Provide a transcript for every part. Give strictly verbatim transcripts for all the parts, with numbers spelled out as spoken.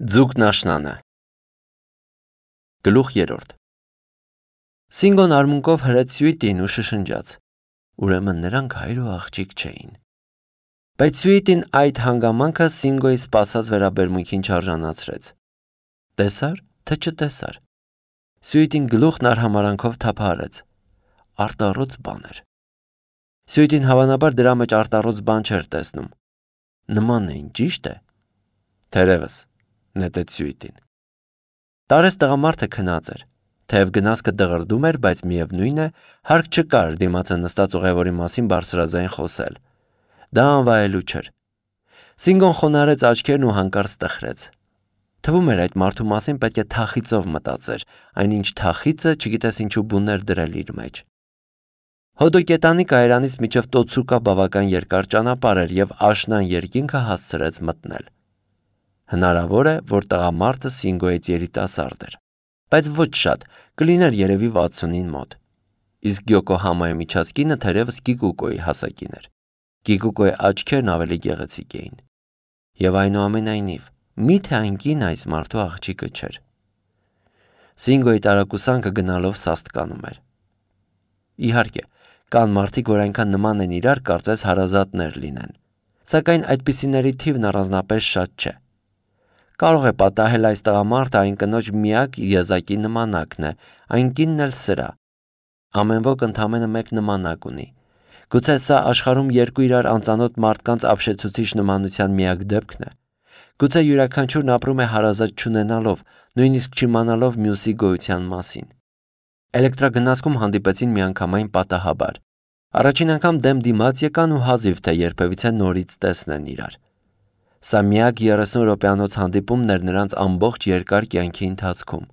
Ձուկն աշնանը Գլուխ երրորդ Սինգոն արմունկով հրեց Սյուիտին ու շշնջաց. Ուրեմն նրանք հայր ու աղջիկ չէին։ Բայց Սյուիտին այդ հանգամանքը Սինգոյի սպասած վերաբերմունքին չարժանացրեց։ Տեսար, թե չտեսար։ Սյուիտին գլուխն արհամարանքով թափահարեց։ Արտառոց բան էր։ Սյուիտին հավանաբար դրա մեջ արտառոց բան չէր տեսնում։ Նման էին, ճիշտ է։ Թերևս, նետեց Սյուիտին։ Տարես տղամարդը քնած էր։ Թեև գնացքը դղրդում էր, բայց միևնույն է, հարկ չկար դիմացը նստած ուղևորի մասին բարձրաձայն խոսել։ Դա անվայելու չէր։ Սինգոն խոնարհեց աչքերն ու հանկարծ տխրեց։ Թվում էր այդ մարդու մասին պետք է թախիծով մտածեր, այնինչ թախիծը չգիտես ինչու բուներ դրել իր մեջ։ Հոդոկետանի կայարանից մինչև Տոցուկա բավական երկար ճանապարհ էր և աշնան երկինքը հասցրեց մտնել։ Հնարավոր է, որ տղամարդը Սինգոյից երիտասարդ էր, բայց ոչ շատ, կլիներ երևի վաթսունին մոտ։ Իսկ Յոկոհամայի միջած կինը թերևս Կիկուկոյի հասակին էր։ Կիկուկոյի աչքերն ավելի գեղեցիկ էին։ Եվ այնուամենայնիվ, միթե այն կինը այս մարդու աղջիկը չէր։ Սինգոյի տարակուսանքը գնալով սաստկանում էր։ Իհարկե, կան մարդիկ, որ այնքան նման են իրար, կարծես հարազատներ լինեն, սակայն այդպիսիների թիվն առանձնապես շատ չէ։ Կարող է պատահել այս տղամարդը այն կնոջ միակ եզակի նմանակն է, այն կինն էլ սրա։ Ամեն ոք ընդամենը մեկ նմանակ ունի։ Գուցե սա աշխարհում երկու իրար անծանոթ մարդկանց ապշեցուցիչ նմանության միակ դեպքն է։ Գուցե յուրաքանչյուրն ապրում է հարազատ չունենալով, նույնիսկ չիմանալով մյուսի գոյության մասին։ Էլեկտրագնացքում հանդիպեցին միանգամայն պատահաբար։ Առաջին անգամ դեմ դիմաց եկան ու հազիվ թե երբևիցե նորից տեսնեն իրար։ Սա միակ երեսուն րոպեանոց հանդիպումն էր նրանց ամբողջ երկար կյանքի ընթացքում։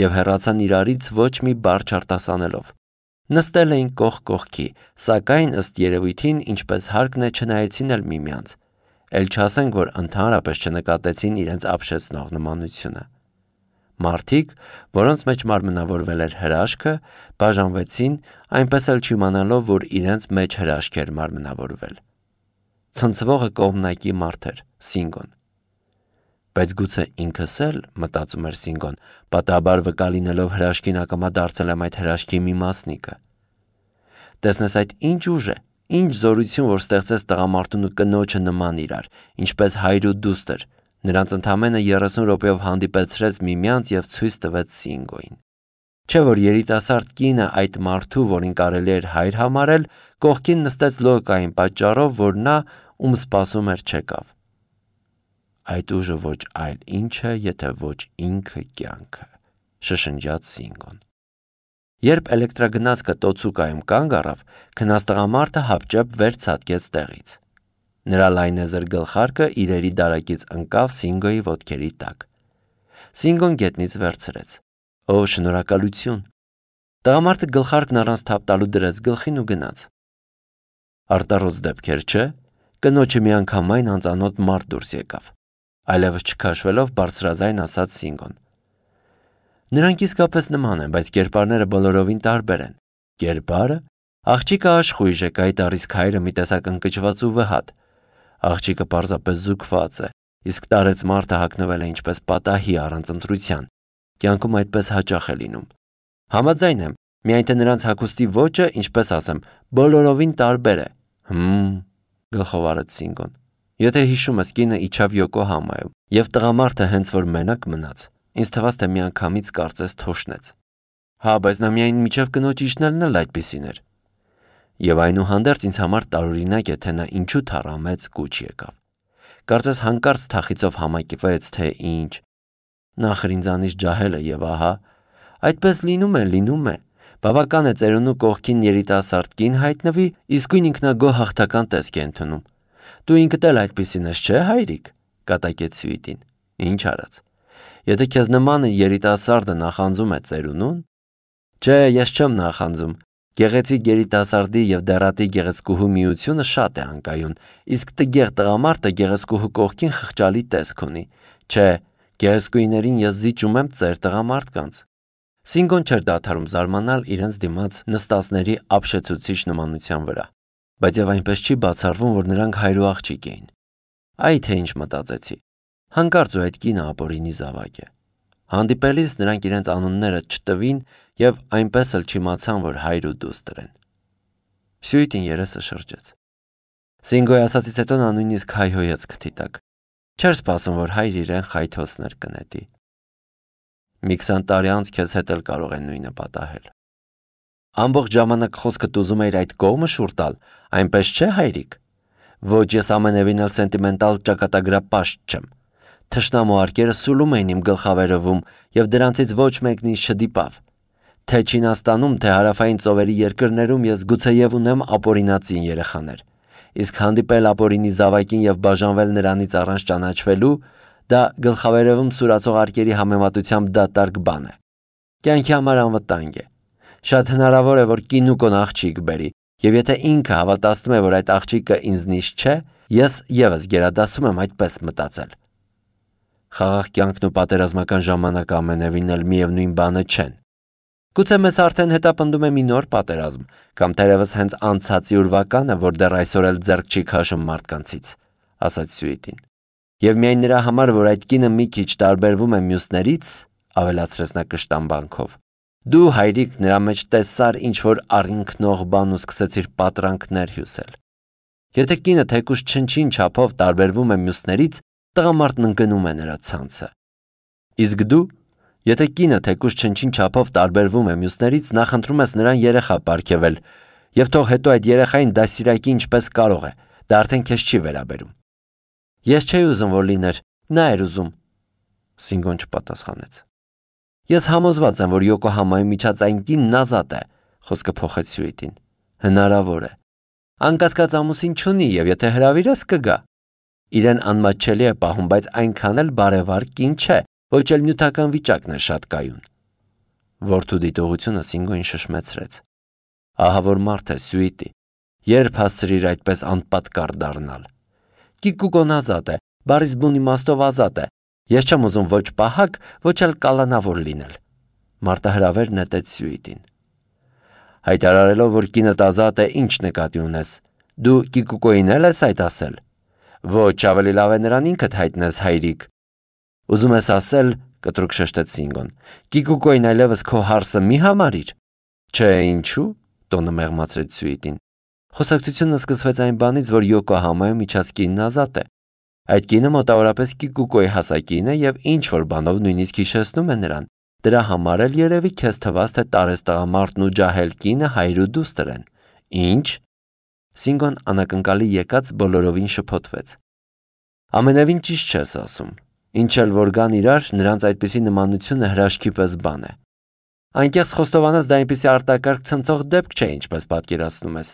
Եվ հեռացան իրարից ոչ մի բառ չարտասանելով։ Նստել էին կողք կողքի, սակայն ըստ երևույթին, ինչպես հարկն է, չնայեցին էլ միմյանց, էլ չասենք, որ ընդհանրապես չնկատեցին իրենց ապշեցնող նմանությունը։ Մարդիկ, որոնց մեջ մարմնավորվել էր հրաշքը, բաժանվեցին, այնպես էլ չիմանալով, որ իրենց մեջ հրաշք էր մարմնավորվել։ Ցնցվողը կողմնակի մարդ էր, Սինգոն։ Բայց գուցե ինքս էլ, մտածում էր Սինգոն, պատահաբար վկա լինելով հրաշքին ակամա դարձել եմ այդ հրաշքի մի մասնիկը։ Տեսնես այդ ինչ ուժ է, ինչ զորություն, որ ստեղծեց տղամարդուն ու կնոջը նման իրար, ինչպես հայր ու դուստր, նրանց ընդամենը երեսուն րոպեով հանդիպեցրեց միմյանց և ցույց տվեց Սինգոյին։ Չէ՞ որ երիտասարդ կինը այդ մարդու, որին կարելի էր հայր համարել, կողքին նստեց լոկային պատճառով, որ նա, ում սպասում էր, չեկավ։ Այդ ուժը ոչ այլ ինչ է, եթե ոչ ինքը կյանքը, շշնջաց Սինգոն։ Երբ էլեկտրագնացքը Տոցուկայում կանգ առավ, քնած տղամարդը հապճեպ վեր ցատկեց տեղից։ Նրա լայնեզր գլխարկը իրերի դարակից ընկավ Սինգոյի ոտքերի տակ։ Սինգոն գետնից վերցրեց։ Օ, շնորհակալություն։ Տղամարդը գլխարկն առանց թափ տալու դրեց գլխին ու գնաց։ Արտառոց դեպքեր, չէ՞։ Կնոջը միանգամայն անծանոթ մարդ դուրս եկավ։ Այլևս չքաշվելով բարձրաձայն ասաց Սինգոն։ Նրանք իսկապես նման են, բայց կերպարները բոլորովին տարբեր են։ Կերպարը։ Աղջիկը աշխույժ է, կայտառիսկ հայրը մի տեսակ ընկճված ու վհատ։ Աղջիկը պարզապես զուգված է, իսկ տարեց մարդը հագնվել է ինչպես պատահի առանց ընտրության։ Կյանքում այդպես հաճախ է լինում։ Համաձայն եմ, միայն թե նրանց հագուստի ոճը, ինչպես ասեմ, բոլորովին տարբեր է։ Հմ, գլխով արեց Սինգոն։ Եթե հիշում ես, կինը իջավ Յոկոհամայում, և տղամարդը հենց որ մենակ մնաց, ինձ թվաց, թե միանգամից կարծես թոշնեց։ Հա, բայց նա միայն միջև կնոջ իջնելն էլ այդպիսին էր։ Եվ այնուհանդերձ ինձ համար տարօրինակ է, թե նա ինչու թառամեց կուչ եկավ։ Կարծես հանկարծ թախիծով համակվեց, թե ինչ։ Նախր ինձանից ջահել է և ահա, այդպես լինում է, լինում է։ Բավական է ծերունու կողքին երիտասարդ կին հայտնվի, իսկույն ինքնագոհ հաղթական տեսք է ընդունում։ Դու ինքդ էլ այդպիսին ես, չէ՞ հայրիկ, կատակեց Սյուիտին։ Ինչ արած։ Եթե քեզ նմանը երիտասարդը նախանձում է ծերունուն։ Չէ, ես չեմ նախանձում։ Գեղեցիկ երիտասարդի և դեռատի գեղեցկուհու միությունը շատ է անկայուն, իսկ տգեղ տղամարդը գեղեցկուհու կողքին խղճալի տեսք ունի։ Չէ, գեղեցկուհիներին ես զիջում եմ ծեր տղամարդկանց։ Սինգոն չէր դադարում զարմանալ իրենց դիմաց նստածների ապշեցուցիչ նմանության վրա, բայց և այնպես չի բացառվում, որ նրանք հայր ու աղջիկ էին։ Այ թե ինչ մտածեցի։ Հանկարծ ու այդ կինը ապօրինի զավակ է։ Հանդիպելիս նրանք իրենց անունները չտվին եւ այնպես էլ չիմացան, որ հայր ու դուստր են։ Սյուիտին երեսը շրջեց։ Սինգոյի ասացից հետո նա նույնիսկ հայհոյեց քթի տակ։ Չէր սպասում, որ հայր իրեն խայթոցներ կնետի։ Մի քսան տարի անց քեզ հետ էլ կարող են նույնը պատահել։ Ամբողջ ժամանակ խոսքդ ուզում էիր այդ կողմը շուռ տալ, այնպես չէ, հայրիկ։ Ոչ, ես ամենևին էլ սենտիմենտալ ճակատագրապաշտ չեմ։ Թշնամու արկերը սուլում էին իմ գլխավերևում եւ դրանցից ոչ մեկն ինձ չդիպավ։ Թե Չինաստանում, թե հարավային ծովերի երկրներում ես գուցեև ունեմ ապօրինածին երեխաներ։ Իսկ հանդիպել ապօրինի զավակին եւ բաժանվել նրանից առանց ճանաչվելու, դա գլխավերևում սուրացող արկերի համեմատությամբ դատարկ բան է։ Կյանքի համար անվտանգ է։ Շատ հնարավոր է, որ կինուկոն աղջիկ բերի, եւ եթե ինքը հավատացնում է, որ այդ աղջիկը ինձնից չէ, ես եւս գերադասում եմ այդպես մտածել։ Խաղաղ կյանքն ու պատերազմական ժամանակը ամենևին էլ միևնույն բանը չեն։ Գուցե մեզ արդեն հետապնդում է մի նոր պատերազմ, կամ թերևս հենց անցածի ուրվականը, որ դեռ այսօր էլ ձեռք չի քաշում մարդկանցից, ասաց Սյուիտին։ Եվ միայն նրա համար, որ այդ կինը մի քիչ տարբերվում է մյուսներից, ավելացրեց նա կշտամբանքով։ Դու, հայրիկ, նրա մեջ տեսար ինչ-որ առինքնող բան ու սկսեցիր պատրանքներ հյուսել։ Եթե կինը թեկուզ չնչին չափով տարբերվում է մյուսներից, տղամարդն ընկնում է նրա ցանցը։ Իսկ դու, եթե կինը թեկուզ չնչին չափով տարբերվում է մյուսներից, նախընտրում ես նրան երեխա պարգևել, եւ թող հետո այդ երեխային դասիրակի ինչպես կարող է, դա արդեն քեզ չի վերաբերում։ Ես չէի ուզում, որ լիներ, նա էր ուզում։ Սինգոն չպատասխանեց։ Ես համոզված եմ, որ Յոկոհամայի միջած այն կինն ազատ է, խոսքը փոխեց Սյուիտին։ Հնարավոր է։ Անկասկած ամուսին չունի եւ եթե հրավիրես կգա։ Իրեն անմատչելի է պահում, բայց այնքան էլ բարևար կին չէ, ոչ էլ նյութական վիճակն է շատ կայուն։ Որդու դիտողությունը Սինգոին շշմեցրեց։ Ահա որ մարդ է, Սյուիտի, երբ հասցրիր այդպես անպատկառ դառնալ։ Կիկուկոն ազատ է, բարիս բուն իմաստով ազատ է։ Ես չեմ ուզում ոչ պահակ, ոչ էլ կալանավոր լինել։ Մարտահրավեր նետեց Սյուիտին։ Հայտարարելով, որ կինդ ազատ է, ինչ նկատի ունես։ Դու Կիկուկոին էլ ես այդ ասել։ Ոչ, ավելի լավ է նրան ինքդ հայտնես, հայրիկ։ Ուզում ես ասել, կտրուկ շշտեց Սինգոն, Կիկուկոին այլևս քո հարսը մի համարիր։ Չէ, ինչու՞, տոնը մեղմացրեց Սյուիտին։ Խոսակցությունը սկսվեց այն բանից, որ Յոկոհամայում իջած կինն ազատ է։ Այդ կինը մոտավորապես Կիկուկոյի հասակին է եւ ինչ որ բանով նույնիսկ հիշեցնում է նրան։ Դրա համար էլ երևի քեզ թվաց, թե տարես տղամարդն ու ջահել կինը հայր ու դուստր են։ Ինչ։ Սինգոն անակնկալի եկած բոլորովին շփոթվեց։ Ամենևին ճիշտ չես ասում։ Ինչ էլ որ գան իրար, նրանց այդպիսի նմանությունը հրաշքի պես բան է։ Այնքես խոստովանած դա այնպիսի արտակարգ ցնցող դեպք չէ, ինչպես պատկերացնում ես։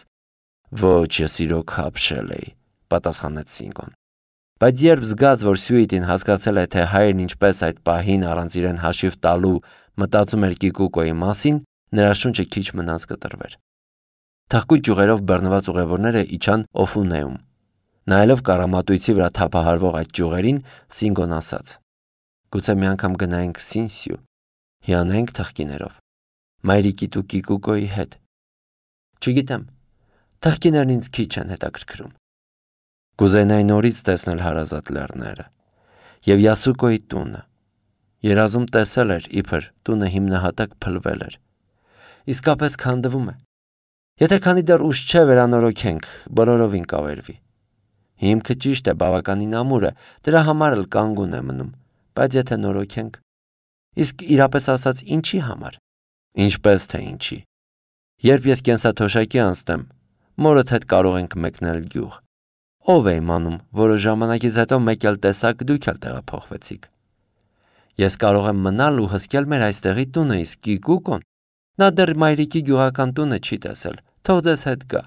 Ոչ, ես իրոք հապշել էի, պատասխանեց Սինգոն։ Բայց երբ զգաց, որ Սյուիտին հասկացել է, թե հայրն ինչպես այդ պահին առանց իրեն հաշիվ տալու մտածում էր Կիկուկոյի մասին, նրա շունչը քիչ մնաց կտրվեր։ Թղկույտ ճյուղերով բռնված ուղևորները իջան Օֆունեում։ Նայելով կառամատույցի վրա թափահարվող այդ ճյուղերին, Սինգոն ասաց. Գուցե մի անգամ գնայինք Սինսյու, հիանայինք թղկիներով, մայրիկիդ ու Կիկուկոյի հետ։ Չգիտեմ, թղկիներն ինձ քիչ են հետաքրքրում։ Կուզենայի նորից տեսնել հարազատ լեռները եւ Յասուկոյի տունը։ Երազում տեսել էր, իբր տունը հիմնահատակ փլվել էր։ Իսկապես քանդվում է։ Եթե քանի դեռ ուշ չէ վերանորոգենք, բոլորովին կավերվի։ Հիմքը ճիշտ է, բավականին ամուր է, դրա համար էլ կանգուն է մնում, բայց եթե նորոգենք, իսկ իրապես ասած ինչի համար։ Ինչպես թե ինչի։ Երբ ես կենսաթոշակի անցնեմ, մորդ հետ կարող ենք մեկնել գյուղ։ Ով է իմանում, որոշ ժամանակից հետո մեկ էլ տեսակ դուք էլ տեղափոխվեցիք։ Ես կարող եմ մնալ ու հսկել մեր այստեղի տունը, իսկ Կիկուկոն, նա դեռ մայրիկի գյուղական տունը չի տեսել, թող ձեզ հետ գա։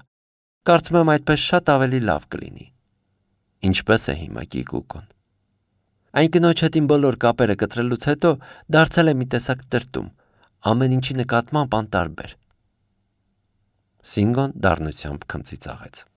Կարծում եմ այդպես շատ ավելի լավ կլինի։ Ինչպես է հիմա Կիկուկոն։ Այն կնոջ հետ իմ բոլոր կապերը կտրելուց հետո դարձել է մի տեսակ տրտում, ամեն ինչի նկատմամբ անտարբեր։ Սինգոն դառնությամբ քմծիծաղեց։